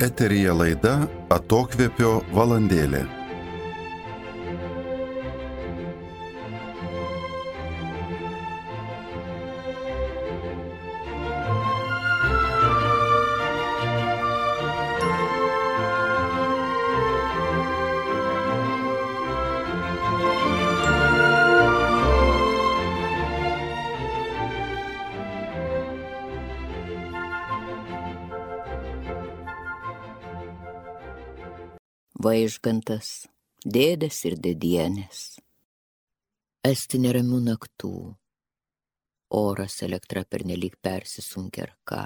Eteryje laida Atokvėpio valandėlė. Vaižgantas, dėdės ir dėdienės. Esti neramių naktų. Oras, elektra pernelyg persisunkia ar ką.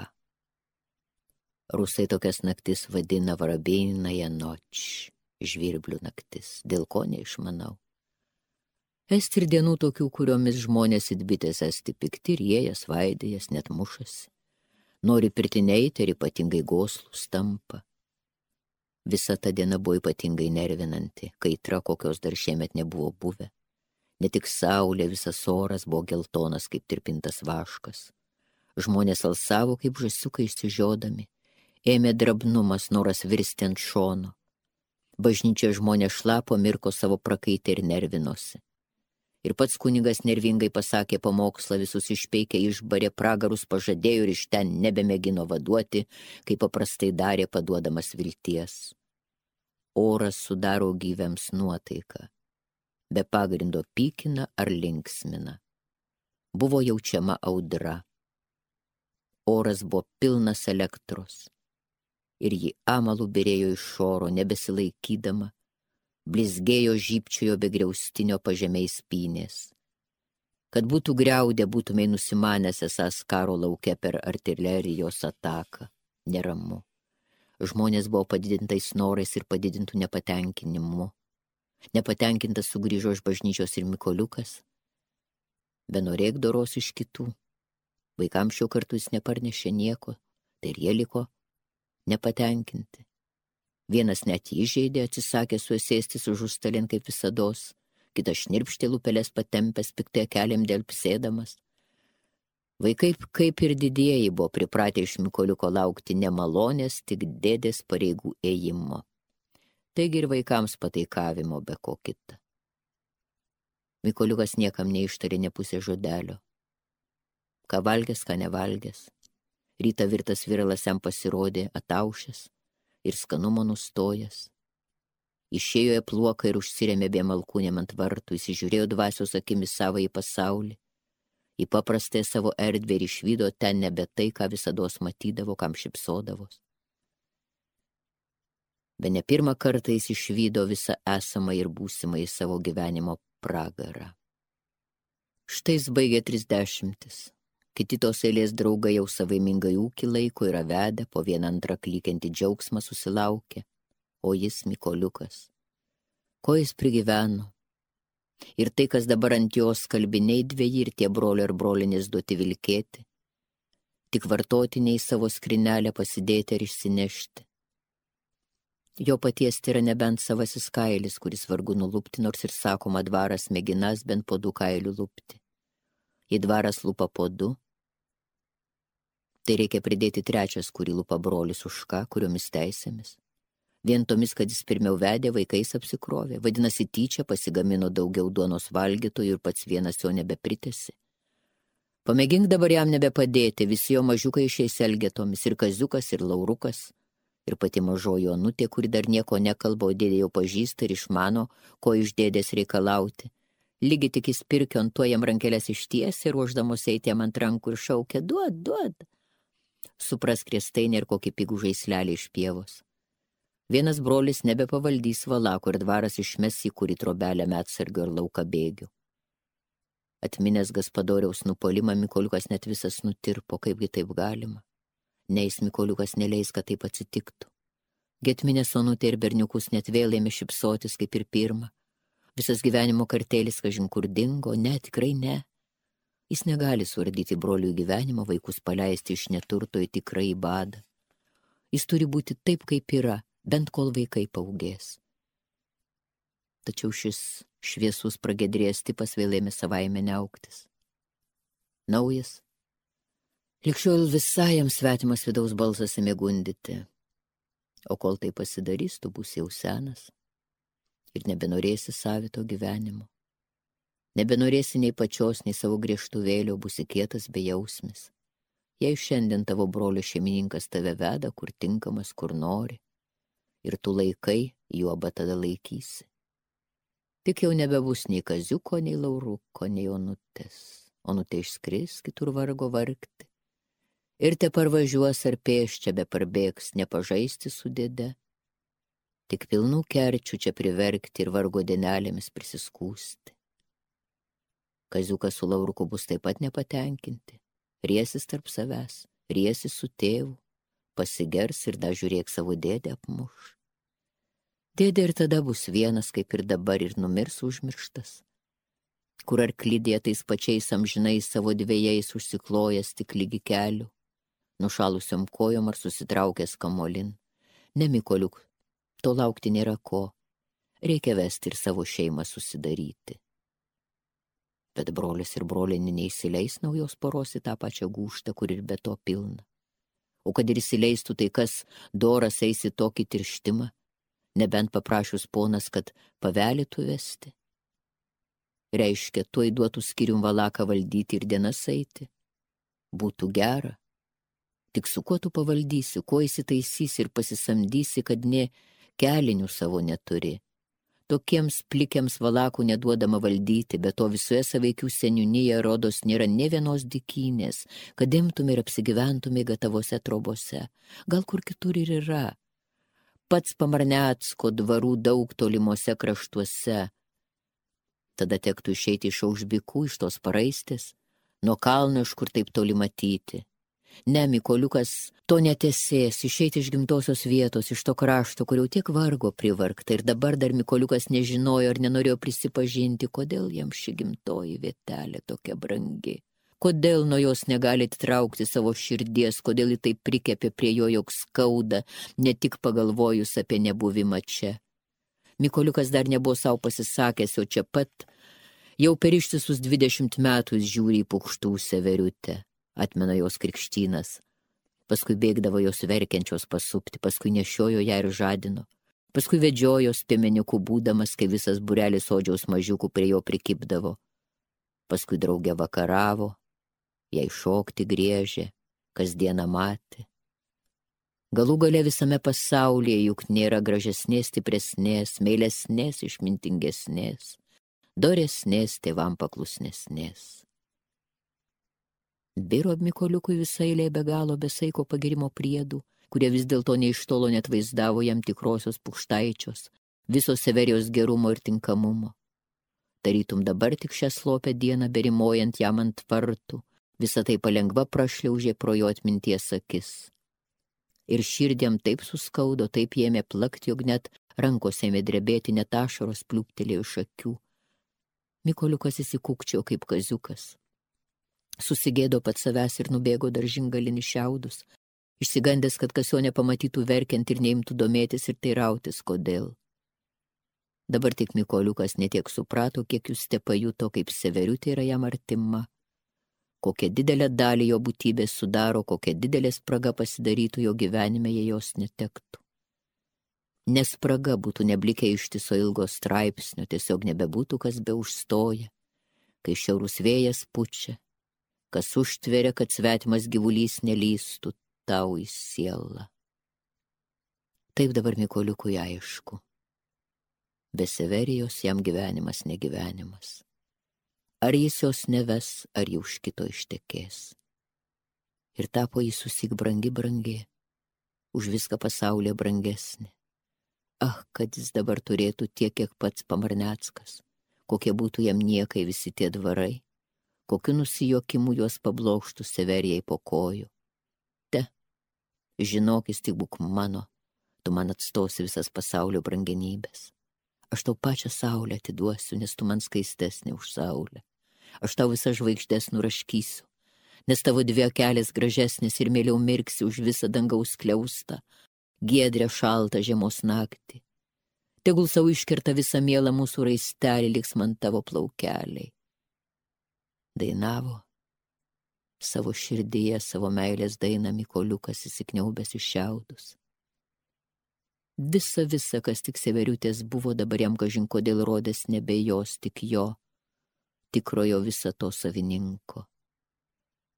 Rusai tokias naktis vadina varabėnaja noč, žvirblių naktis, dėl ko neišmanau. Esti ir dienų tokių, kuriomis žmonės it bitės esti pikti ir jie jas vaidėjas net mušasi. Nori pirtineiti ir ypatingai goslus tampa. Visa ta diena buvo ypatingai nervinanti, kaitra kokios dar šiemet nebuvo buvę. Ne tik saulė, visas oras buvo geltonas kaip tirpintas vaškas. Žmonės alsavo kaip žąsiukai išsižiodami. Ėmė drabnumas, noras virsti ant šono. Bažnyčia žmonės šlapo, mirko savo prakaitę ir nervinosi. Ir pats kunigas nervingai pasakė pamokslą, visus išpeikė, išbarė, pragarus pažadėjo ir iš ten nebemėgino vaduoti, kaip paprastai darė, paduodamas vilties. Oras sudaro gyviams nuotaiką, be pagrindo pykina ar linksmina. Buvo jaučiama audra. Oras buvo pilnas elektros ir ji amalų byrėjo iš oro, nebesilaikydama, blizgėjo žybčiojo be griaustinio pažemiais pynės. Kad būtų griaudę, būtumei nusimanęs esąs karo lauke per artilerijos ataką. Neramu. Žmonės buvo padidintais norais ir padidintų nepatenkinimu. Nepatenkintas sugrįžo iš bažnyčios ir Mykoliukas. Benorėk doros iš kitų. Vaikams šio kartu jis neparnešė nieko, tai ir jie liko nepatenkinti. Vienas net įžeidė, atsisakė suėsėstis už užstalin kaip visados, kitas šnirpštė lūpeles patempęs, piktai keliam dėl psėdamas. Vaikai, kaip ir didieji, buvo pripratę iš Mykoliuko laukti nemalonės, tik dėdės pareigų ėjimo. Taigi ir vaikams pataikavimo be ko kita. Mykoliukas niekam neištarė ne pusė žodelio. Ką valgęs, ką nevalgęs. Rytą virtas viralas jam pasirodė ataušęs ir skanumo nustojęs. Išėjo į pluoką ir užsirėmė biem alkūnėm ant vartų, įsižiūrėjo dvasios akimis savąjį pasaulį. Į paprastąją savo erdvę ir išvydo ten nebe tai, ką visados matydavo, kam šipsodavos. Be ne pirmą kartą jis išvydo visą esamą ir būsimą į savo gyvenimo pragarą. Štai jis baigė 30. Kiti tos eilės draugai jau savaimingai ūkį laiko yra vedę, po vieną antrą klykiantį džiaugsmą susilaukė, o jis Mykoliukas. Ko jis prigyveno? Ir tai, kas dabar ant jos kalbiniai dveji ir tie brolio ir brolinės duoti vilkėti, tik vartotiniai savo skrinelę pasidėti ar išsinešti. Jo paties tai yra nebent savasis kailis, kuris vargu nulupti, nors ir sakoma dvaras mėginas bent po 2 kailių lupti. Jei dvaras lupa po 2, tai reikia pridėti 3, kurį lupa brolis už ką, kuriomis teisėmis. Vien tomis, kad jis pirmiau vedė, vaikais apsikrovė. Vadinasi, tyčia pasigamino daugiau duonos valgytojų ir pats vienas jo nebepritėsi. Pamėgink dabar jam nebepadėti, visi jo mažiukai išeis elgetomis, ir Kaziukas, ir Laurukas, ir pati mažoji Onutė, kuri dar nieko nekalba, o dėdė jau pažįsta ir išmano, ko iš dėdės reikalauti. Lygi tik jis pirkio ant to jam rankelės ištiesė, ruoždamos eiti jam ant rankų ir šaukė, duod. Supras kriestainį ir kokį pigų žaislelį iš pievos. Vienas brolis nebepavaldys valako ir dvaras išmes į kurį trobelę medsargio ir lauką bėgių. Atminęs Gaspadoriaus nupolimą, Mykoliukas net visas nutirpo, kaipgi taip galima. Neis Mykoliukas neleis, kad taip atsitiktų. Getminės Onutė ir berniukus net vėl ėmė šipsotis kaip ir pirma. Visas gyvenimo kartėlis kažin kur dingo, ne, tikrai ne. Jis negali suardyti brolių gyvenimo, vaikus paleisti iš neturto į tikrąjį badą. Jis turi būti taip, kaip yra, bent kol vaikai paugės. Tačiau šis šviesus pragedrėjęs tipas vėl ėmė savaime neaugtis. Naujas. Likščiol visai jam svetimas vidaus balsas ėmė gundyti. O kol tai pasidarys, tu būsi jau senas ir nebenorėsi savito gyvenimo. Nebenorėsi nei pačios, nei savo griežtuvėlio, būsi kietas bejausmis. Jei šiandien tavo brolio šeimininkas tave veda, kur tinkamas, kur nori, ir tu laikai, juoba tada laikysi. Tik jau nebebus nei Kaziuko, nei Lauruko, nei Onutės. Onutė išskris kitur vargo vargti. Ir te parvažiuos ar pėsčia be parbėgs, nepažaisti su dėde. Tik pilnų kerčių čia priverkti ir vargo dienelėmis prisiskūsti. Kaziukas su Lauruku bus taip pat nepatenkinti. Riesis tarp savęs, riesis su tėvu, pasigers ir dar žiūrėk savo dėdę apmuš. Dėdė ir tada bus vienas, kaip ir dabar, ir numirs užmirštas. Kur arklidėje tais pačiais amžinais savo dvejais užsiklojęs tik lygi kelių, nušalusiom kojom ar susitraukęs kamolin. Ne, Mykoliuk, to laukti nėra ko, reikia vesti ir savo šeimą susidaryti. Bet brolis ir brolinė neįsileis naujos poros į tą pačią gūžtą, kur ir be to pilna. O kad ir įsileistų, tai kas doras eis į tokį tirštimą, nebent paprašius ponas, kad pavelytų vesti. Reiškia, tuoj duotų skyrium valaką valdyti ir dienas eiti. Būtų gera. Tik su kuo tu pavaldysi, kuo įsitaisysi ir pasisamdysi, kad nė kelinių savo neturi. Tokiems plikiams valakų neduodama valdyti, bet to visoje saveikių seniūnyje rodos nėra nė vienos dykynės, kad imtum ir apsigyventumai gatavose trobose. Gal kur kitur ir yra. Pats Pamarnecko dvarų daug tolimuose kraštuose. Tada tektų išeiti iš Aužbikų, iš tos paraistės, nuo kalno, iš kur taip toli matyti. Ne, Mykoliukas to netesės, išeiti iš gimtosios vietos, iš to krašto, kur jau tiek vargo privargta, ir dabar dar Mykoliukas nežinojo ar nenorėjo prisipažinti, kodėl jam ši gimtoji vietelė tokia brangi. Kodėl nuo jos negali atitraukti savo širdies, kodėl ji taip prikepė prie jo, jog skauda, ne tik pagalvojus apie nebuvimą čia. Mykoliukas dar nebuvo savo pasisakęs, o čia pat jau per ištisus 20 metų jis žiūri į Pukštų Severiutę, atmena jos krikštynas. Paskui bėgdavo jos verkiančios pasupti, paskui nešiojo ją ir žadino. Paskui vedžiojo piemeniukų būdamas, kai visas būrelis sodžiaus mažiukų prie jo prikibdavo. Paskui draugė vakaravo, jai šokti griežė, kasdieną matė. Galų gale visame pasaulyje juk nėra gražesnės, stipresnės, meilesnės, išmintingesnės, doresnės, tėvam paklusnesnės. Biro Mykoliukui visai eilė be galo besaiko pagirimo priedų, kurie vis dėlto neiš tolo net vaizdavo jam tikrosios Pukštaičios, visos Severijos gerumo ir tinkamumo. Tarytum dabar tik šią slopę dieną berimojant jam ant vartų, visą tai palengva prašliaužė pro jo atminties akis. Ir širdėm taip suskaudo, taip ėmė plakti, jog net rankos ėmė drebėti, net ašaros pliūptelėjo iš akių. Mykoliukas įsikūkčiojo kaip Kaziukas. Susigėdo pats savęs ir nubėgo daržingalin į šiaudus, išsigandęs, kad kas jo nepamatytų verkiant ir neimtų domėtis ir teirautis, kodėl. Dabar tik Mykoliukas netiek suprato, kiek jūs te pajuto, kaip Severiutė yra jam artima, kokią didelę dalį jo būtybės sudaro, kokią didelę spragą pasidarytų jo gyvenime, jei jos netektų. Nes spraga būtų neblikę ištiso ilgo straipsnio, tiesiog nebebūtų kas be užstoja, kai šiaurus vėjas pučia, kas užtveria, kad svetimas gyvulys nelystų tau į sielą. Taip dabar Mykoliukui aišku. Be Severijos jam gyvenimas negyvenimas. Ar jis jos neves, ar ji už kito ištekės. Ir tapo jis susik brangi, už viską pasaulyje brangesnė. Ah, kad jis dabar turėtų tiek, kiek pats Pamarneckas, kokie būtų jam niekai visi tie dvarai, kokiu nusijuokimu juos pablokštų Severijai po kojų. Te, žinok, jis tik būk mano, tu man atstosi visas pasaulio brangenybės. Aš tau pačią saulę atiduosiu, nes tu man skaistesnė už saulę. Aš tau visas žvaigždės nuraškysiu, nes tavo dvi akelės gražesnės ir mieliau mirksi už visą dangaus skliaustą, giedrę šaltą žiemos naktį. Tegul savo iškerta visą mielą mūsų raistelį, liks man tavo plaukeliai. Dainavo savo širdyje, savo meilės dainą Mykoliukas įsikniaubęs į šiaudus. Visa, kas tik Severiutės buvo, dabar jam kažin kodėl rodės nebe jos, tik jo, tikrojo visato savininko.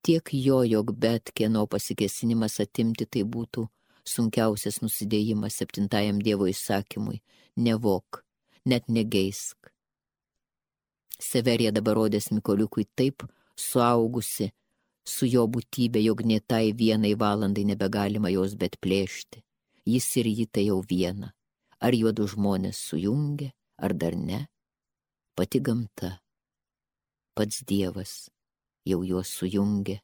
Tiek jo, jog bet kieno pasikėsinimas atimti tai būtų sunkiausias nusidėjimas 7 Dievo įsakymui – nevok, net negeisk. Severija dabar rodės Mykoliukui taip suaugusi su jo būtybė, jog nė tai vienai valandai nebegalima jos bet plėšti. Jis ir ji tai jau viena. Ar juodu žmonės sujungia, ar dar ne? Pati gamta, pats Dievas jau juos sujungia.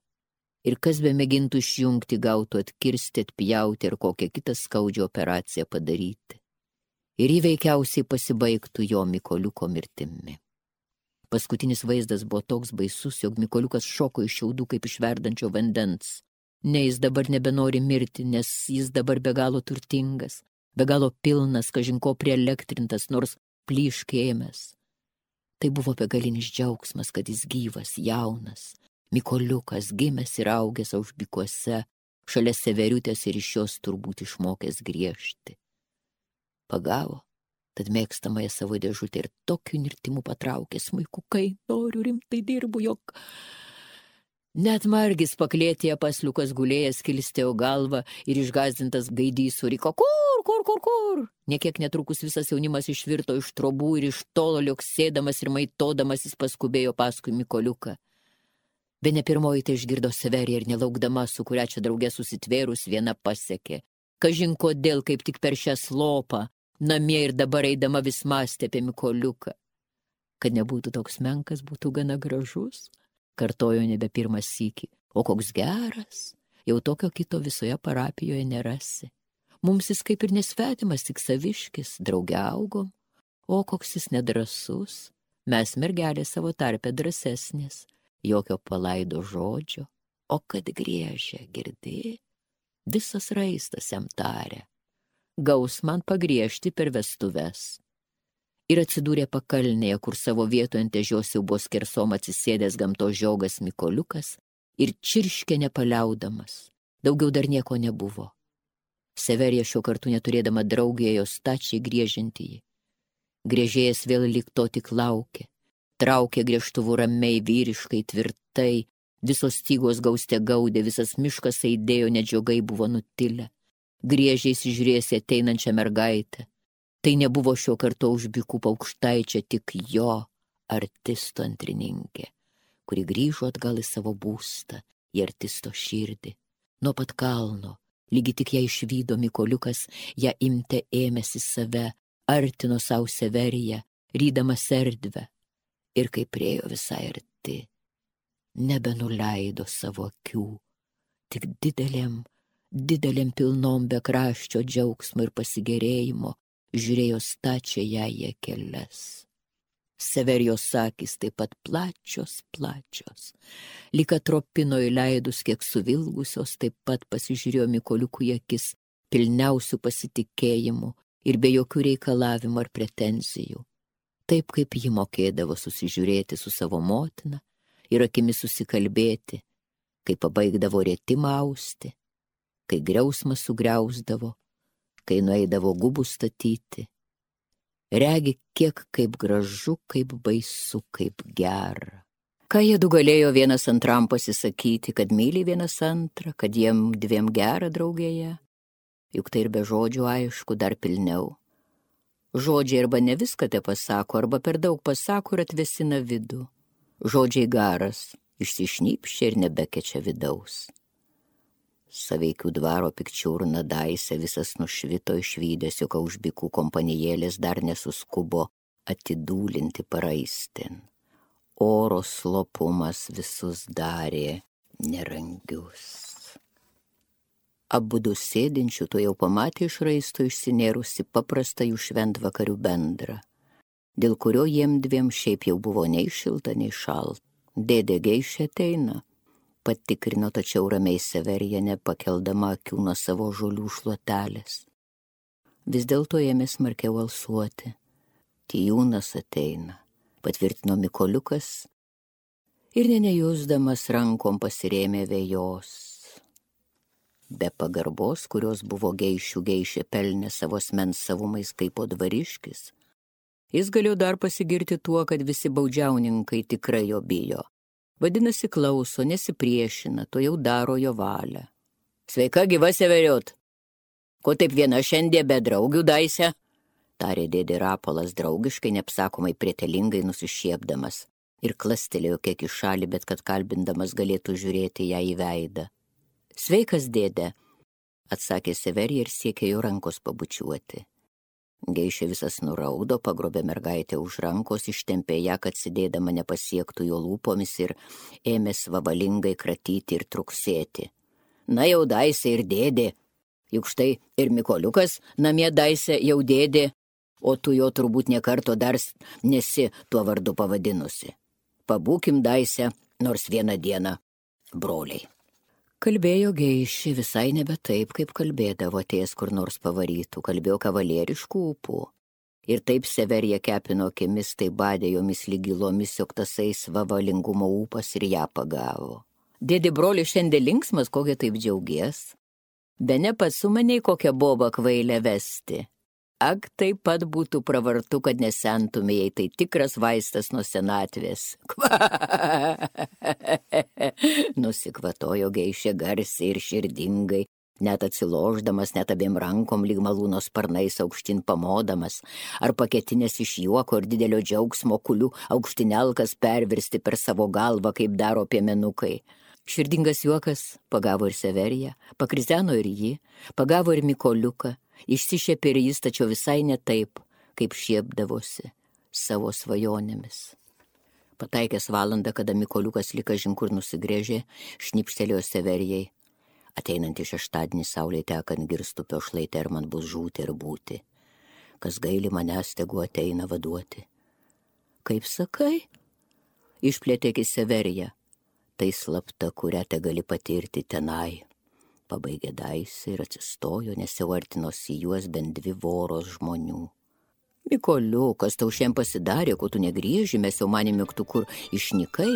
Ir kas be mėgintų išjungti, gautų atkirsti, atpjauti ir kokią kitą skaudžią operaciją padaryti. Ir įveikiausiai pasibaigtų jo Mykoliuko mirtimi. Paskutinis vaizdas buvo toks baisus, jog Mykoliukas šoko iš šiaudų kaip iš verdančio vandens. Ne, jis dabar nebenori mirti, nes jis dabar be galo turtingas, be galo pilnas, kažin ko prielektrintas, nors plyškėjęs. Tai buvo begalinis džiaugsmas, kad jis gyvas, jaunas, Mykoliukas, gimęs ir augęs Aušbikuose, šalia Severiutės ir iš jos turbūt išmokęs griežti. Pagavo, tad mėgstamąją savo dėžutę ir tokiu nirtimu patraukė smuikukai, noriu rimtai dirbu, jog... Net margis paklėtėje pasliukas gulėjęs kilstėjo galvą ir išgąsdintas gaidys suriko, kur? Niekiek netrukus visas jaunimas išvirto iš trobų ir iš tolo liuoksėdamas ir maitodamas jis paskubėjo paskui Mykoliuką. Bene pirmoji tai išgirdo Severija ir nelaukdama, su kuria čia drauge susitvėrus, viena pasiekė. Kažin kodėl, kaip tik per šią slopą, namie ir dabar eidama vis mąstė apie Mykoliuką. Kad nebūtų toks menkas, būtų gana gražus. Kartojo nebe pirmas sykį. O koks geras, jau tokio kito visoje parapijoje nerasi. Mums jis kaip ir nesvetimas, tik saviškis, drauge augom. O koks jis nedrasus, mes mergelė savo tarpe drąsesnės, jokio palaido žodžio. O kad griežia, girdi, visas raistas jam tarė. Gaus man pagriežti per vestuves. Ir atsidūrė pakalnėje, kur savo vietoje ant ežios jau buvo skersom atsisėdęs gamtos žiogas Mykoliukas ir čirškė nepaliaudamas. Daugiau dar nieko nebuvo. Severija šiuo kartu neturėdama draugėje jos stačiai griežinti jį. Griežėjas vėl lyg to tik laukė. Traukė griežtuvų ramiai, vyriškai, tvirtai. Visos stygos gauste gaudė, visas miškas aidėjo, net žiogai buvo nutilę. Griežiai įsižiūrėsi ateinančią mergaitę. Tai nebuvo šio karto Aušbikų Paukštaičia, tik jo artisto antrininkė, kuri grįžo atgal į savo būstą, į artisto širdį. Nuo pat kalno, lygi tik ją išvydo Mykoliukas, ją imte ėmėsi save, artino savo Severiją, rydamas erdvę. Ir kai priejo visai arti, nebenuleido savo akių, tik didelėm pilnom bekraščio džiaugsmo ir pasigėrėjimo, žiūrėjo stačią ją į akeles. Severijos akys taip pat plačios, lyg atropino įleidus kiek suvilgusios, taip pat pasižiūrėjo Mykoliukui akis pilniausių pasitikėjimų ir be jokių reikalavimų ar pretenzijų. Taip kaip ji mokėdavo susižiūrėti su savo motina ir akimis susikalbėti, kai pabaigdavo rėtimą austi, kai griausmą sugriausdavo, kai nueidavo gubų statyti. Regi kiek kaip gražu, kaip baisu, kaip gera. Ką jie du galėjo vienas antram pasisakyti, kad myli vienas antrą, kad jiem dviem gera draugėje? Juk tai ir be žodžių aišku, dar pilniau. Žodžiai arba ne viską te pasako, arba per daug pasako ir atvesina vidų. Žodžiai garas, išsišnypščia ir nebekečia vidaus. Saveikių dvaro pikčiurna daise visas nušvito išvydęs, jog Aušbikų kompanijėlės dar nesuskubo atidūlinti paraistin. Oro slopumas visus darė nerangius. Abudu sėdinčių to jau pamatė iš raisto išsinėrusi paprastą jų šventvakarių bendrą, dėl kurio jiem dviem šiaip jau buvo nei šilta, nei šalta. Dėdė Geišė ateina, patikrino, tačiau ramiai Severija nepakeldama akių nuo savo žolių šluotelės. Vis dėlto ėmė smarkiau alsuoti. Tijūnas ateina, patvirtino Mykoliukas ir nejusdamas rankom pasirėmė vejos. be pagarbos, kurios buvo geišių geišė pelnė savo asmens savumais kaip po dvariškis. Jis galėjo dar pasigirti tuo, kad visi baudžiauninkai tikrai jo bijo. Vadinasi, klauso, nesipriešina, to jau daro jo valią. Sveika, gyva Severiot. Ko taip viena šiandien be draugių daise? Tarė dėdė Rapolas draugiškai, neapsakomai prietelingai nusišiepdamas ir klastelėjo kiek į šalį, bet kad kalbindamas galėtų žiūrėti ją į veidą. Sveikas, dėdė, atsakė Severija ir siekė jo rankos pabučiuoti. Geišė visas nuraudo, pagrobė mergaitę už rankos, ištempė ją, kad sėdėdama nepasiektų jo lūpomis ir ėmė svavalingai kratyti ir truksėti. Na jau daise ir dėdė, juk štai ir Mikoliukas namie daise jau dėdė, o tu jo turbūt nekarto dar nesi tuo vardu pavadinusi. Pabūkim daise nors vieną dieną, broliai. Kalbėjo Geišė visai nebe taip, kaip kalbėdavo ties kur nors pavarytų, kalbėjo kavalieriškų ūpų. Ir taip Severija kepino akimis, tai badė jomis lygilomis, jog tasai svavalingumo ūpas ir ją pagavo. Dėdė broli šiandien linksmas, kokia taip džiaugies. Bene pats su maniai kokią bobą kvailę vesti. Ak, taip pat būtų pravartu, kad nesentumėjai, tai tikras vaistas nuo senatvės. Nusikvatojo Geišė garsiai ir širdingai, net atsiloždamas, net abiem rankom lyg malūno sparnais aukštin pamodamas, ar paketinės iš juoko ir didelio džiaugsmo kulių aukštinelkas pervirsti per savo galvą, kaip daro piemenukai. Širdingas juokas pagavo ir Severiją, pakrizeno ir jį, pagavo ir Mikoliuką, išsišėpė ir jis, tačiau visai ne taip, kaip šiepdavosi savo svajonėmis. Pataikęs valandą, kada Mikoliukas lyg kažin kur nusigrėžė, šnipštelėjo Severijai. Ateinantį šeštadienį saulė tekant Girstupio šlaite ir man bus žūti ir būti. Kas gaili manęs, tegu ateina vaduoti. Kaip sakai? Išplėtė akis Severija. Tai slapta, kurią te gali patirti tenai. Pabaigė daisį ir atsistojo, nes jau artinosi juos bent 2 voros žmonių. Mikoliukas, tau šiandien pasidarė, ko tu negrįži, mes jau manėme, tu kur išnykai.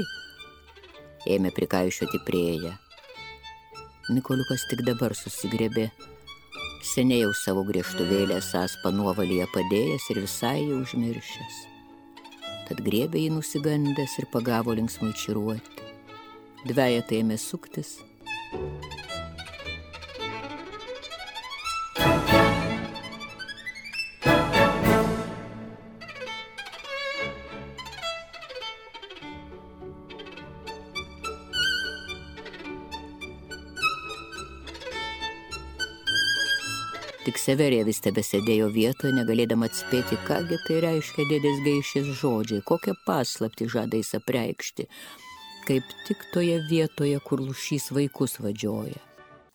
Ėmė prikaišioti prieją. Mikoliukas tik dabar susigrebė. Seniai jau savo griežtuvėlę esąs panuovalyje padėjęs ir visai jau užmiršęs. Tad griebė jį nusigandęs ir pagavo linksmai čiruoti. Dvejetai ėmė suktis. Tik Severija vis tebesėdėjo vietoje, negalėdama atspėti, kągi tai reiškia dėdės Geišės žodžiai, kokią paslaptį žada jis apreikšti, kaip tik toje vietoje, kur lūšys vaikus vadžioja.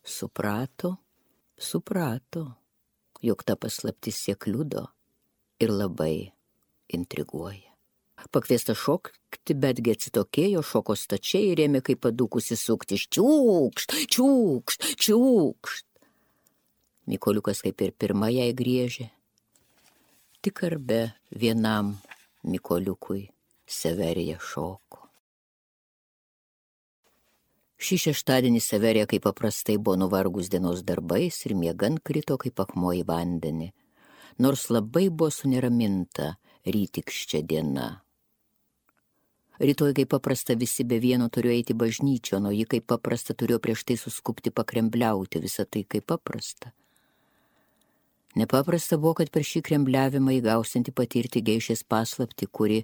Suprato, jog ta paslaptis ją kliudo ir labai intriguoja. Pakviesta šokti, betgi atsitokėjo, šoko stačiai ir ėmė kaip padūkusi sukti. Čiūkšt, čiūkšt, čiūkšt. Mikoliukas kaip ir pirma jai griežė. Tik ar be vienam Mikoliukui Severija šoko. Šį šeštadienį Severija kaip paprastai buvo nuvargus dienos darbais ir miegant krito kaip akmuo į vandenį, nors labai buvo suneraminta rytikščia diena. Rytoj kaip paprasta visi be vieno turėjo eiti bažnyčion, o ji kaip paprasta turėjo prieš tai suskupti pakrembliauti, visą tai kaip paprasta. Nepaprasta buvo, kad per šį krembliavimą įgausianti patirti Geišės paslaptį, kuri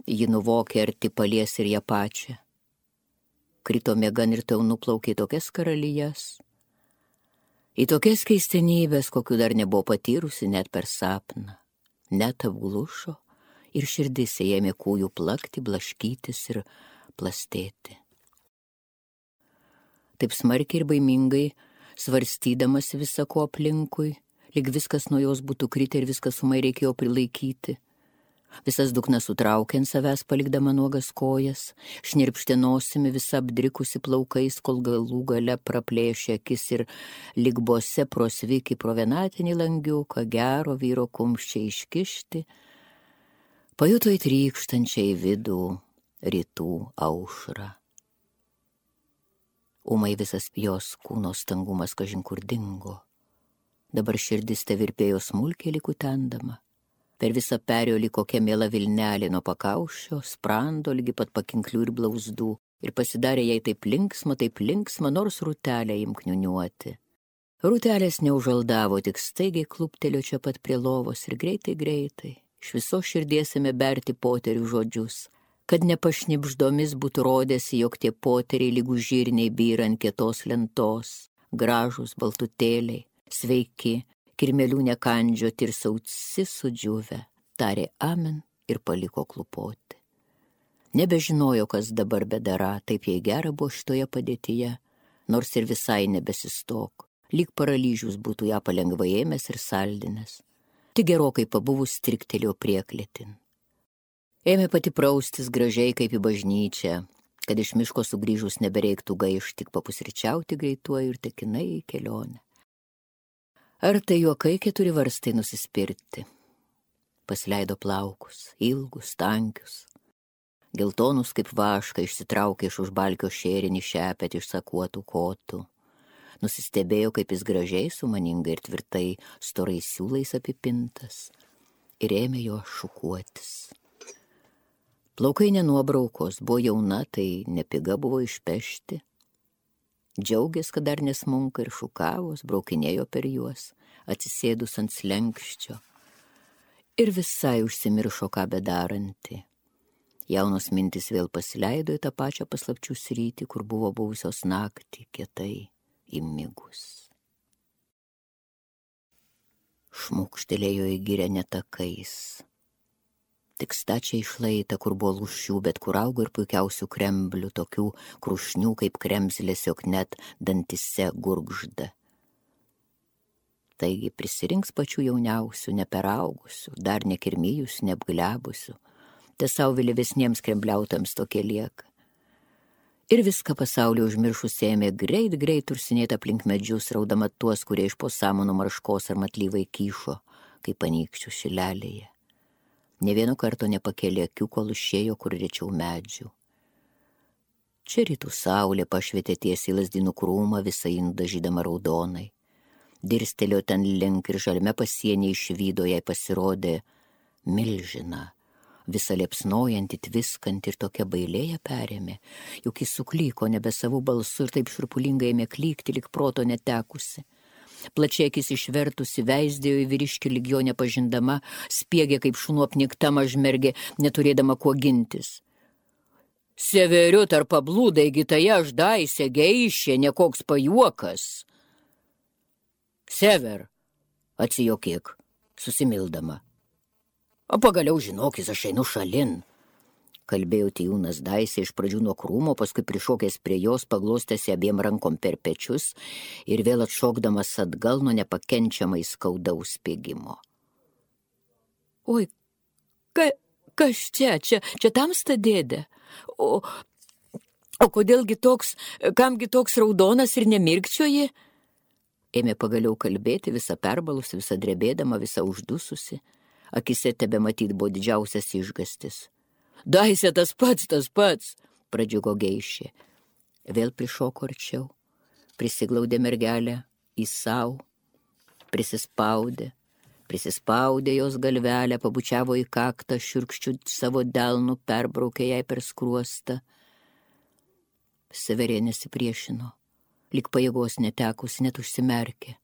ji nuvokė arti palies ir ją pačią. Krito miegan ir tau nuplaukė į tokias karalijas, į tokias keistenybės, kokių dar nebuvo patyrusi net per sapną. Net apglušo ir širdis ėmė kūjų plakti, blaškytis ir plastėti. Taip smarkiai ir baimingai, svarstydamas visako aplinkui, lyg viskas nuo jos būtų kritę ir viskas sumai reikėjo prilaikyti. Visas dugnas sutraukė ant savęs, palikdama nuogas kojas, šnirpštė nosimi visą apdrikusi plaukais, kol galų gale praplėšė akis ir lyg bose prosviki pro vienatinį langiuką, gero vyro kumščiai iškišti, pajuto įtrykštančią į vidų rytų aušrą. Ūmai visas jos kūno stangumas kažin kur dingo. Dabar širdis tevirpėjo smulkiai likutendama. Per visą perėjo kokia miela vilnelė nuo pakaušio, sprando lygi pat pakinklių ir blauzdų. Ir pasidarė jai taip linksma, nors rūtelę imkniuniuoti. Rūtelės neužaldavo, tik staigiai kluptelio čia pat prie lovos ir greitai, iš viso širdies ėmė berti poterių žodžius, kad nepašnibždomis būtų rodėsi, jog tie poteriai lygų žirniai byra ant kietos lentos, gražūs baltutėliai, sveiki, kirmelių nekandžioti ir sauci sudžiuvę, tarė amen ir paliko klupoti. Nebežinojo, kas dabar bedara, taip jai gera buvo šitoje padėtyje, nors ir visai nebesistok, lyg paralyžius būtų ją palengvai ėmęs ir saldinęs. Tik gerokai pabuvus striktelėjo prieklėtin. Ėmė pati praustis gražiai kaip į bažnyčią, kad iš miško sugrįžus nebereiktų gaišti, tik papusryčiauti greituoju ir tekinai į kelionę. Ar tai juokai 4 varstai nusispirti? Pasileido plaukus, ilgus, tankius, geltonus kaip vašką išsitraukė iš užbalkio šėrinį šepet iš sakuotų kotų. Nusistebėjo, kaip jis gražiai, sumaningai ir tvirtai storais siūlais apipintas ir ėmė jo šukuotis. Plaukai nenuobraukos, buvo jauna, tai nepiga buvo išpešti. Džiaugės, kad dar nesmunka ir šukavos, braukinėjo per juos, atsisėdus ant slenkščio. Ir visai užsimiršo, ką bedaranti. Jaunos mintis vėl pasileido į tą pačią paslapčių sritį, kur buvo buvusios naktį, kietai įmigus. Šmukštelėjo į girią netakais. Tik stačiai išlaita, kur buvo lūšių, bet kur augo ir puikiausių kremblių, tokių krušnių kaip kremzlės, jog net dantise gurgžda. Taigi prisirinks pačių jauniausių, neperaugusių, dar nekirmijus, neapglebusių, tiesau vėlyvesniems krembliautams tokie lieka. Ir viską pasaulį užmiršus ėmė greit ursinėti aplink medžius, raudama tuos, kurie iš po samanų marškos ar matlyvai kyšo, kaip anykščių šilelėje. Ne vieno karto nepakėlė akių, kol išėjo kur rečiau medžių. Čia rytų saulė pašvietė tiesiai lazdynų krūmą, visą jį nudažydama raudonai. Dirstelėjo ten link ir žalme pasienį išvydo, jai pasirodė milžina, visą liepsnojantį, tviskantį ir tokia bailėja perėmė, juk jis suklyko nebe savų balsų ir taip šurpulingai ėmė klykti, lyg proto netekusi. Plačiai akis išvertusi, veisdėjo į vyriškį lyg jo nepažindama, spiegė kaip šunų apnikta mažmergė, neturėdama kuo gintis. Severiu tarp pablūdai, gitaja aš daisė, geišė, nekoks pajuokas. Sever, atsijokėk, susimildama. O pagaliau žinokis, aš einu šalin. Kalbėjo Tijūnas Daisė iš pradžių nuo krūmo, paskui prišokęs prie jos, paglostėsi abiem rankom per pečius ir vėl atšokdamas atgal nuo nepakenčiamai skaudaus spiegimo. Oi, kas čia tamsta dėdė? O kodėlgi toks, kamgi toks raudonas ir nemirkčioji? Ėmė pagaliau kalbėti, visa perbalusi, visa drebėdama, visa uždususi. Akise tebe matyt buvo didžiausias išgastis. Daisė, tas pats, pradžiugo geišė. Vėl prišoko arčiau, prisiglaudė mergelę į sau, prisispaudė jos galvelę, pabučiavo į kaktą, šiurkščių savo delnų, perbraukė jai per skruostą. Severė nesipriešino, lyg pajėgos netekusi, net užsimerkė.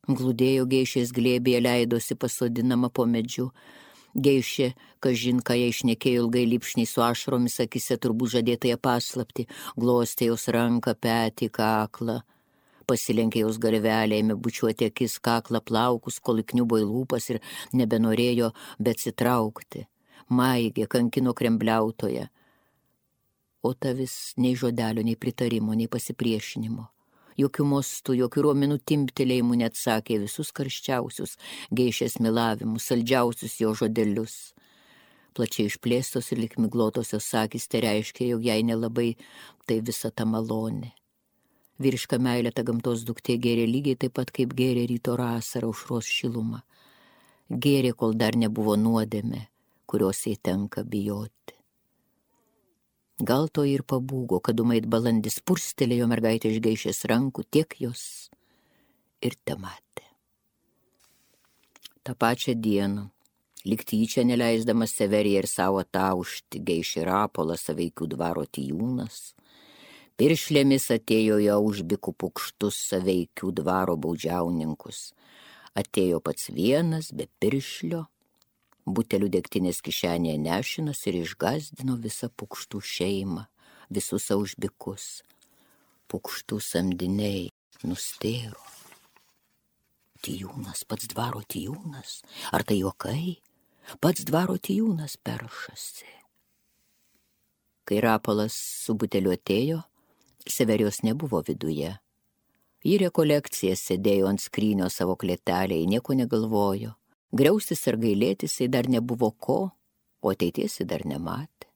Glūdėjo geišės glėbėje, leidosi pasodinama po medžiu. Geišė, kažin, ką jai šnekėjo ilgai lipšniai su ašaromis akise, turbūt žadėtąją paslaptį, glostė jos ranką, petį, kaklą. Pasilenkė jos galvelę, ėmė bučiuoti akis, kaklą, plaukus, kol įkniubo į lūpas ir nebenorėjo beatsitraukti. Maigė, kankino krembliautoje. O ta vis nei žodelio, nei pritarimo, nei pasipriešinimo. Jokių mostų, jokių ruomenų timptelėjimų neatsakė visus karščiausius geišės milavimus, saldžiausius jo žodelius. Plačiai išplėstos ir lyg miglotosios akys tai reiškia, jog jai nelabai tai visa ta malonė. Vyriška meilė ta gamtos duktė gėrė lygiai taip pat, kaip gėrė ryto rasarą aušros šilumą. Gėrė, kol dar nebuvo nuodėmė, kurios jai tenka bijoti. Gal to ir pabūgo, kad umait balandis purstelėjo mergaitę iš Geišės rankų, tiek jos ir tematė. Ta pačią dieną, lyg tyčia neleisdamas Severiją ir savo taušti, Geišė Rapolas Saveikių dvaro Tijūnas, piršlėmis atėjo į Aužbikų pukštus Saveikių dvaro baudžiauninkus. Atėjo pats vienas, be piršlio, butelių degtinės kišenėje nešinas ir išgazdino visą pukštų šeimą, visus Aužbikus. Pukštų samdiniai nustėro. Tijūnas, pats dvaro Tijūnas, ar tai juokai? Pats dvaro Tijūnas peršasi. Kai Rapolas su buteliu atėjo, Severijos nebuvo viduje. Ji rekolekcija sėdėjo ant skrynio savo klėtelėje, nieko negalvojo. Griaustis ar gailėtis dar nebuvo ko, o ateities dar nematė.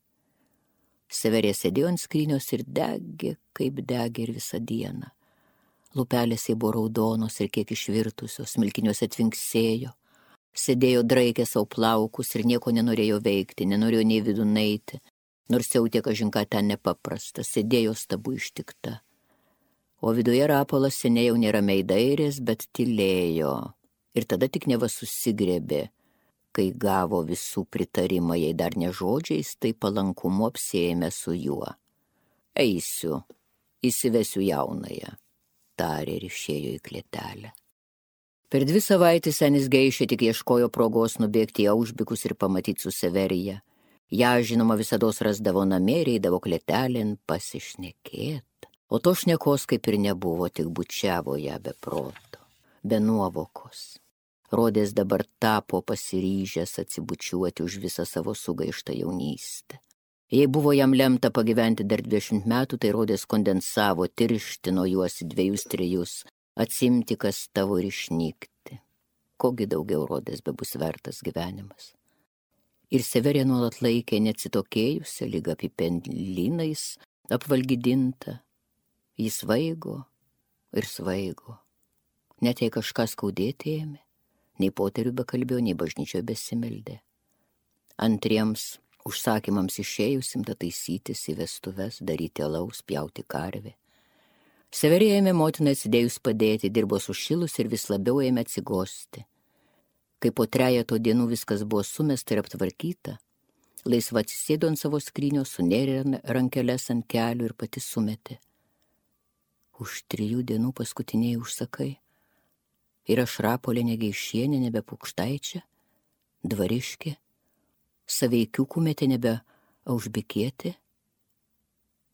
Severija sėdėjo ant skrynios ir degė, kaip degė ir visą dieną. Lūpelės buvo raudonos ir kiek išvirtusios, smilkiniuose tvinksėjo. Sėdėjo draikė savo plaukus ir nieko nenorėjo veikti, nenorėjo nei vidun eiti, nors jautė kažinką ten nepaprasta, sėdėjo stabu ištikta. O viduje Rapolas seniai jau neramiai dairės, bet tylėjo. Ir tada tik neva susigrebė, kai gavo visų pritarimą, jei dar ne žodžiais, tai palankumu apsiėmė su juo. Eisiu, įsivesiu jaunąją, tarė ir išėjo į klėtelę. Per 2 savaitės senis Geišė tik ieškojo progos nubėgti į Aužbikus ir pamatyti su Severija. Ja, žinoma, visados rasdavo namie ir eidavo klėtelėn pasišnekėt. O to šnekos kaip ir nebuvo, tik bučiavo ją be proto, be nuovokos. Rodės dabar tapo pasiryžęs atsibučiuoti už visą savo sugaištą jaunystę. Jei buvo jam lemta pagyventi dar 20 metų, tai rodės kondensavo, tirštino juos į 2-3, atsimti, kas tavo ir išnykti. Kogi daugiau rodės be bus vertas gyvenimas. Ir Severija nuolat laikė neatsitokėjusią, lyg apipendlynais apvalgydinta. Jis svaigo ir svaigo. Net jei kažką skaudėti ėmė, nei poterių bekalbėjo, nei bažnyčioje besimeldė. Antriems užsakymams išėjusim taisytis į vestuves, daryti alaus, pjauti karvę. Severija ėmė motiną atsidėjus padėti, dirbo sušilus ir vis labiau ėmė atsigosti. Kai po 3 dienų viskas buvo sumesta ir aptvarkyta, laisva atsisėdo ant savo skrynio, sunėrė rankeles ant kelių ir pati sumetė. Už 3 dienų paskutiniai užsakai. Ir aš Rapolė Negeišienė, nebe Pukštaičia, Dvariškė, Saveikių kumetė, nebe Aužbikietė.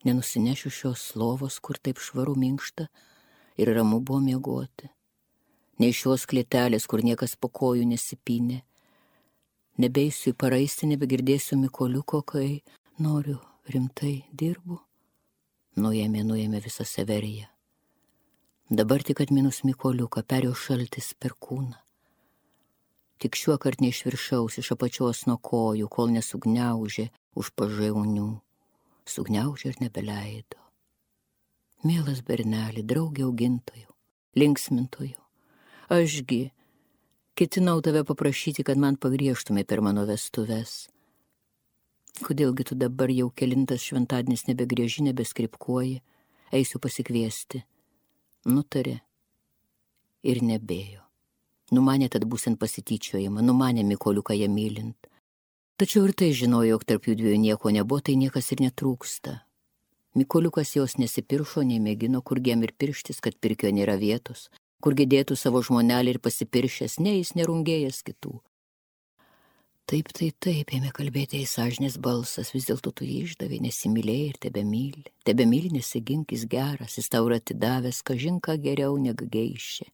Nenusinešiu šios lovos, kur taip švaru minkšta ir ramu buvo miegoti. Nei šios klėtelės, kur niekas po kojų nesipynė. Nebeisiu į paraisti, nebegirdėsiu Mikoliuko, kai noriu, rimtai dirbu. Nuėmė visą Severiją. Dabar tik atminus Mikoliuką, perėjo šaltis per kūną. Tik šiuo kart neišviršaus iš apačios nuo kojų, kol nesugniaužė už pažaunių. Sugniaužė ir nebeleido. Mielas berneli, draugė augintojų, linksmintojų, ašgi ketinau tave paprašyti, kad man pagriežtumai per mano vestuves. Kodėlgi tu dabar jau kelintas šventadienis nebegrieži, nebeskripkuoji, eisiu pasikviesti. Nutarė ir nebėjo. Numanė tad būsint pasityčiojimą, numanė Mikoliuką ją mylint. Tačiau ir tai žinojo, jog tarp jų 2 nieko nebuvo, tai niekas ir netrūksta. Mikoliukas jos nesipiršo, nei mėgino, kurgi jam ir pirštis, kad pirkio nėra vietos, kurgi dėtų savo žmonelį ir pasipiršęs, ne jis nerungėjęs kitų. Taip, ėmė kalbėti į sąžinės balsas, vis dėlto tu jį išdavė, nesimylėjai ir tebemyli. Tebemyli, nesigink, jis geras, jis tau yra atidavęs, kažin ką geriau negu Geišė.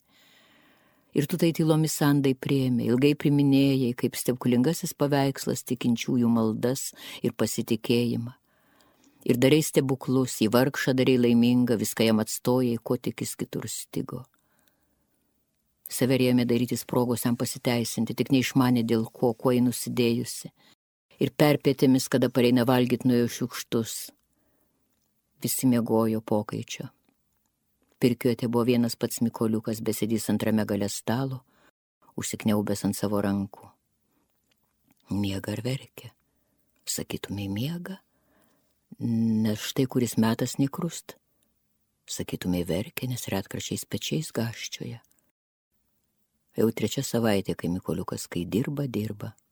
Ir tu tai tylomis sandai priėmė, ilgai priminėjai, kaip stebuklingasis paveikslas tikinčiųjų maldas ir pasitikėjimą. Ir darei stebuklus, į vargšą darei laimingą, viską jam atstojai, ko tik jis kitur stigo. Severija ėmė darytis progos jam pasiteisinti, tik neišmanė dėl kuo jį nusidėjusi. Ir perpėtėmis, kada pareina valgyt, nuėjo šiukštus. Visi miegojo pokaičio. Pirkiuotė buvo vienas pats Mikoliukas, besėdys antrame gale stalo, užsikniaubęs ant savo rankų. Miega ar verkia? Sakytumai miega? nes štai kuris metas nekrust. Sakytumai verkia, nes retkarčiais pečiais gaščioja. Jau 3 savaitė, kai Mykoliukas, kai dirba,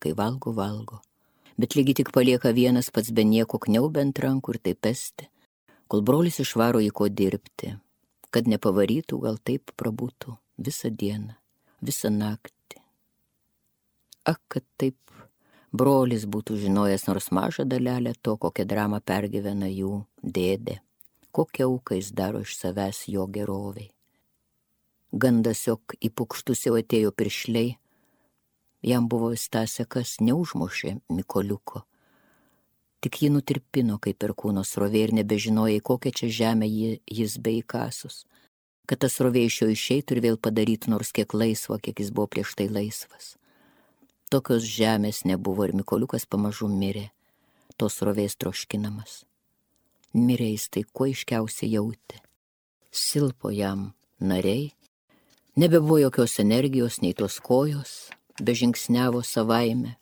kai valgo. Bet lygiai tik palieka vienas pats be nieko kniaubiant rankų ir taip pesti, kol brolis išvaro į ko dirbti, kad nepavarytų, gal taip prabūtų visą dieną, visą naktį. Ak, kad taip brolis būtų žinojęs nors mažą dalelę to, kokią dramą pergyvena jų dėdė, kokią auką jis daro iš savęs jo geroviai. Gandas, jog į pukštus jau atėjo piršliai, jam buvo įstasę, kas neužmušė Mykoliuko. Tik jį nutirpino kaip perkūno srovė ir nebežinojo, į kokią čia žemę jis beįkasus, kad tas srovė iš jo išeitų ir vėl padarytų nors kiek laisvo, kiek jis buvo prieš tai laisvas. Tokios žemės nebuvo ir Mykoliukas pamažu mirė, tos srovės troškinamas. Mirė jis tai kuo aiškiausiai jautė. Silpo jam nariai, nebebuvo jokios energijos, nei tos kojos, bežingsniavo savaime,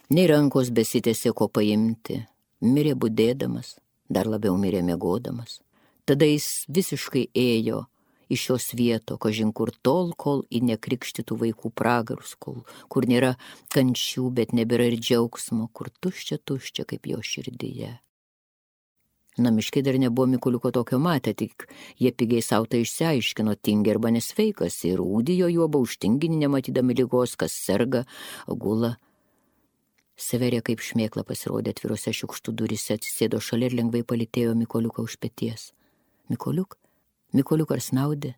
nei rankos besitėsi ko paimti, mirė budėdamas, dar labiau mirė miegodamas. Tada jis visiškai ėjo iš šios vieto, kažin kur tol, kol į nekrikštytų vaikų pragarus, kur nėra kančių, bet nebėra ir džiaugsmo, kur tuščia kaip jo širdyje. Namiškiai dar nebuvo Mykoliuko tokio matę, tik jie pigiai sau tai išsiaiškino, tingi arba nesveikas, ir ūdijo juoba už tinginį nematydami ligos, kas serga, gula. Severija kaip šmėkla pasirodė atvirose šiukštų durise, atsisėdo šalia ir lengvai palytėjo Mykoliuką už peties. Mykoliuk ar snaudė?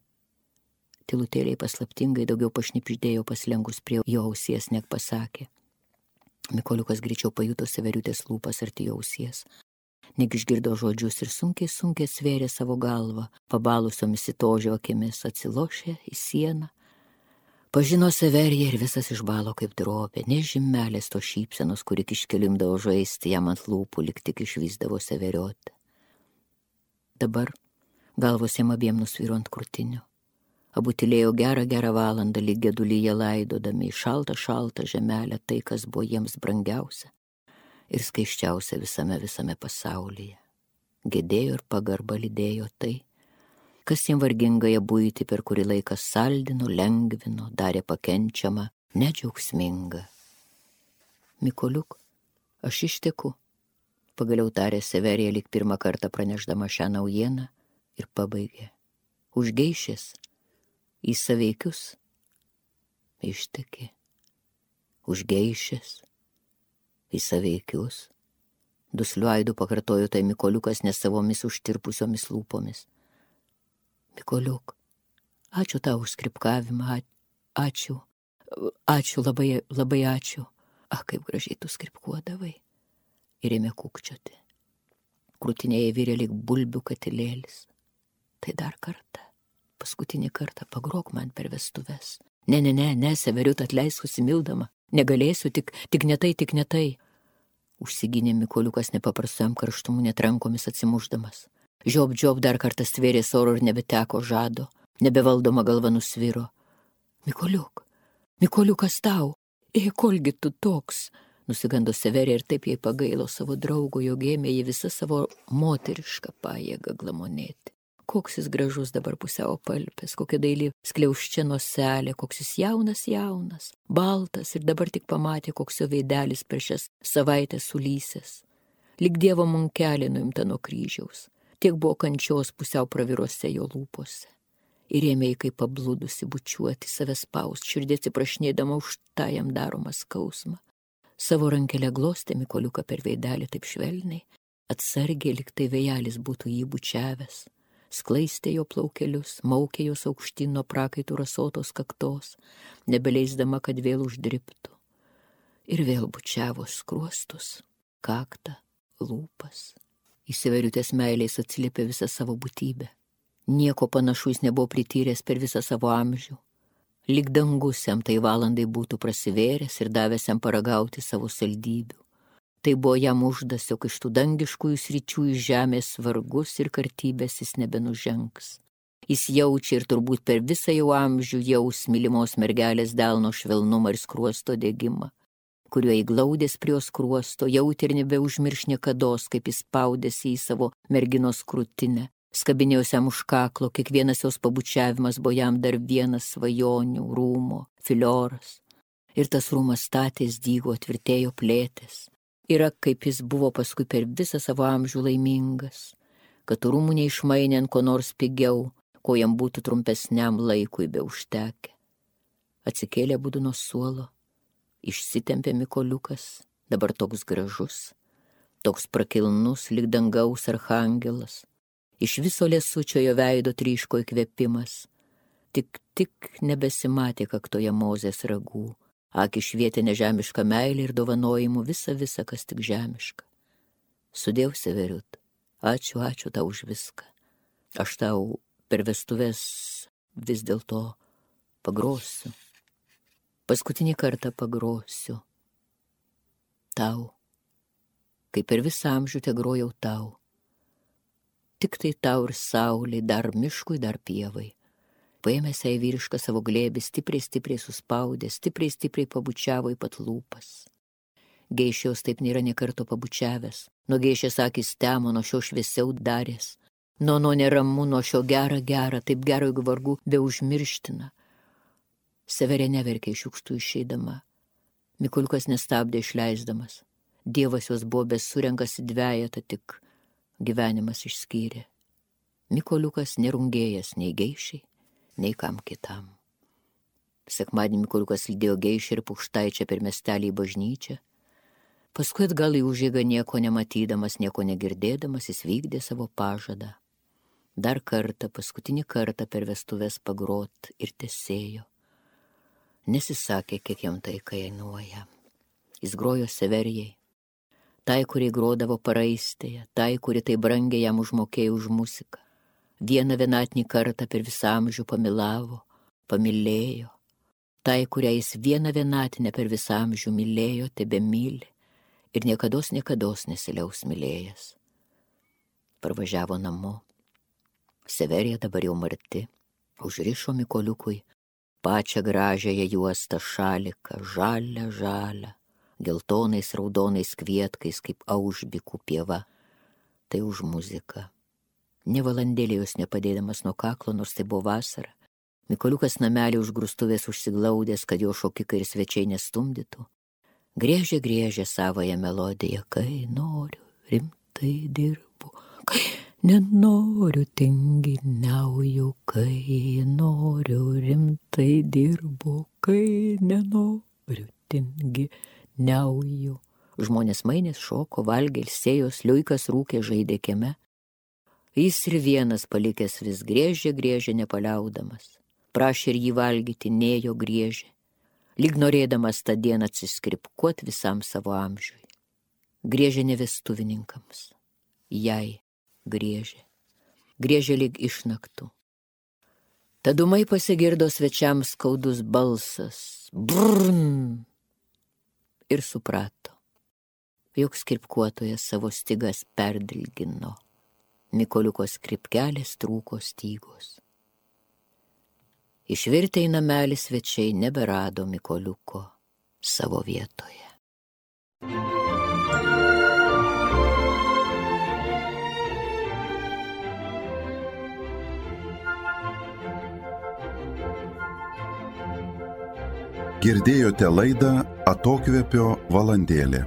Tylutėliai paslaptingai daugiau pašnipždėjo paslengus prie jo ausies, nek pasakė. Mykoliukas greičiau pajuto Severiutės lūpas arti jo ausies. Nek išgirdo žodžius ir sunkiai svėrė savo galvą, pabalusiomis įtožio akimis, atsilošė į sieną. Pažino Severiją ir visas išbalo kaip drobė, ne žymelės to šypsenos, kuri iškelimdavo žaisti jam ant lūpų, lyg tik išvysdavo Severiotę. Dabar galvos jam abiem nusvyro ant krūtinio. Abu tylėjo gerą valandą, lyg gedulyje laidodami į šaltą žemelę tai, kas buvo jiems brangiausia ir skaiščiausia visame pasaulyje. Gedėjo ir pagarba lydėjo tai, kas jam vargingąją buitį per kurį laiką saldino, lengvino, darė pakenčiamą, nedžiaugsmingą. Mykoliuk, aš išteku, pagaliau tarė Severija, lyg pirmą kartą pranešdama šią naujieną, ir pabaigė. Užgeišės, į saveikius, ištekė. Užgeišės, į saveikius. Dusliu aidu pakartojo tai Mykoliukas nesavomis užtirpusiomis lūpomis. Mykoliuk, ačiū tau už skripkavimą, ačiū, labai ačiū. Kaip gražiai tu skripkuodavai. Ir ėmė kūkčioti. Krūtinėje virė lyg bulbių katilėlis. Tai dar kartą, paskutinį kartą pagrok man per vestuves. Ne, Severiut, atleisk susimildama. Negalėsiu, tik ne tai. Užsigynė Mykoliukas nepaprastojam karštumu, net rankomis atsimušdamas. Žiob dar kartą stvėrė oro ir nebeteko žado, nebevaldoma galva nusviro. Mykoliukas tau, kolgi tu toks, nusigando Severija ir taip jai pagailo savo draugo, jog ėmė jį visą savo moterišką pajėgą glamonėti. Koks jis gražus dabar pusiau palpės, kokia daili skliauščia noselė, koks jis jaunas, baltas ir dabar tik pamatė, koks jo veidelis per šias savaitės sulysęs. Lyg Dievo munkelė nuimta nuo kryžiaus, tiek buvo kančios pusiau pravirose jo lūpose. Ir ėmė jį kaip pabludusi bučiuoti, save spaust, širdį atsiprašnėdama už tą jam daromą skausmą. Savo rankelę glostė Mykoliuką per veidelį taip švelniai, atsargiai, lyg tai vėjelis būtų jį bučiavęs. Sklaistė jo plaukelius, maukė jos aukštyn nuo prakaitų rasotos kaktos, nebeleisdama, kad vėl uždriptų. Ir vėl bučiavo skruostus, kaktą, lūpas. Į Severiutės meilės atsiliepė visą savo būtybę. Nieko panašu jis nebuvo prityręs per visą savo amžių. Lyg dangus jam tai valandai būtų prasivėręs ir davęs jam paragauti savo saldybių. Tai buvo jam uždas, jog iš tų dangiškųjų sričių iš žemės vargus ir kartybės jis nebenužengs. Jis jaučia ir turbūt per visą jau amžių jaus mylimos mergelės delno švelnumą ir skruosto degimą. kuriuo įglaudės prie jos skruosto, jautė ir nebeužmirš niekados, kaip jis spaudėsi į savo merginos krūtinę. Skabinėjusiam už kaklo, kiekvienas jos pabučiavimas buvo jam dar vienas svajonių, rūmo, filioras. Ir tas rūmas statės, dygo, tvirtėjo, plėtės. Yra, kaip jis buvo paskui per visą savo amžių laimingas, kad rūmų neišmainė ant ko nors pigiau, ko jam būtų trumpesniam laikui be užtekę. Atsikėlė abudu nuo suolo, išsitempė Mykoliukas, dabar toks gražus, toks prakilnus, lyg dangaus archangelas. Iš viso liesučio jo veido tryško įkvėpimas. Tik nebesimatė kaktoje Mozės ragų. Akį švietė nežemišką meilę ir dovanojimų visa, kas tik žemiška. Sudėjau, Severiut, ačiū tau už viską. Aš tau per vestuves vis dėlto pagrosiu. Paskutinį kartą pagrosiu. Tau, kaip per visą amžių tegrojau tau. Tik tai tau ir saulė, dar miškui, dar pievai. Paėmęs į vyrišką savo glėbį, stipriai suspaudė, stipriai pabučiavo į pat lūpas. Geišėjos taip nėra nė karto pabučiavęs. Nuo geišės akis temo, nuo šio šviesiau darės. Nuo neramu, nuo šio gera, taip gero, jeigu vargu be užmirština. Severė neverkė iš šiukštų išeidama. Mykoliukas nestabdė išleisdamas. Dievas jos buvo besurenkas į dvejetą, tik gyvenimas išskyrė. Mykoliukas nerungėjęs nei geišiai, nei kam kitam. Sekmadienį Mykoliukas lydėjo geišį ir Pukštaičią per miestelį į bažnyčią. Paskui atgal į užeigą nieko nematydamas, nieko negirdėdamas, jis vykdė savo pažadą. Dar kartą, paskutinį kartą per vestuves pagrot ir tesėjo. Nesisakė, kiek jam tai kainuoja. Jis grojo Severijai. Tai, kuri grodavo paraistėje, tai, kuri tai brangiai jam užmokėjo už muziką. Vienatinį kartą per visą amžių pamilavo, pamilėjo. Tai, kurią jis vienatinę per visą amžių mylėjo, tebemyli ir niekados nesiliaus mylėjęs. Parvažiavo namo. Severija dabar jau marti, užrišo Mykoliukui pačią gražiąją juostą šaliką, žalią, geltonais raudonais kvietkais, kaip aužbikų pieva. Tai už muziką. Ne valandėlį jos nepadėdamas nuo kaklo, nors tai buvo vasara. Mykoliukas namelį už grūstuvės užsiglaudęs, kad jo šokikai ir svečiai nestumdytų. Griežė savąją melodiją, kai noriu, rimtai dirbu, kai nenoriu, tinginiauju, kai noriu, rimtai dirbu, kai nenoriu, tinginiauju. Žmonės mainės šoko, valgė, ilsėjos, liuikas rūkė, žaidė kieme. Jis ir vienas palikęs vis griežė nepaliaudamas. Prašė ir jį valgyti, nėjo griežė, lyg norėdamas tą dieną atsiskripkuot visam savo amžiui. Griežė ne vestuvininkams, jai griežė lyg išnaktų. Tad ūmai pasigirdo svečiams skaudus balsas, brrrn, ir suprato, jog skripkuotojas savo stygas perdilgino. Mykoliuko skripkelės trūko stygos. Išvirtę į namelį svečiai neberado Mykoliuko savo vietoje. Girdėjote laidą Atokvėpio valandėlė.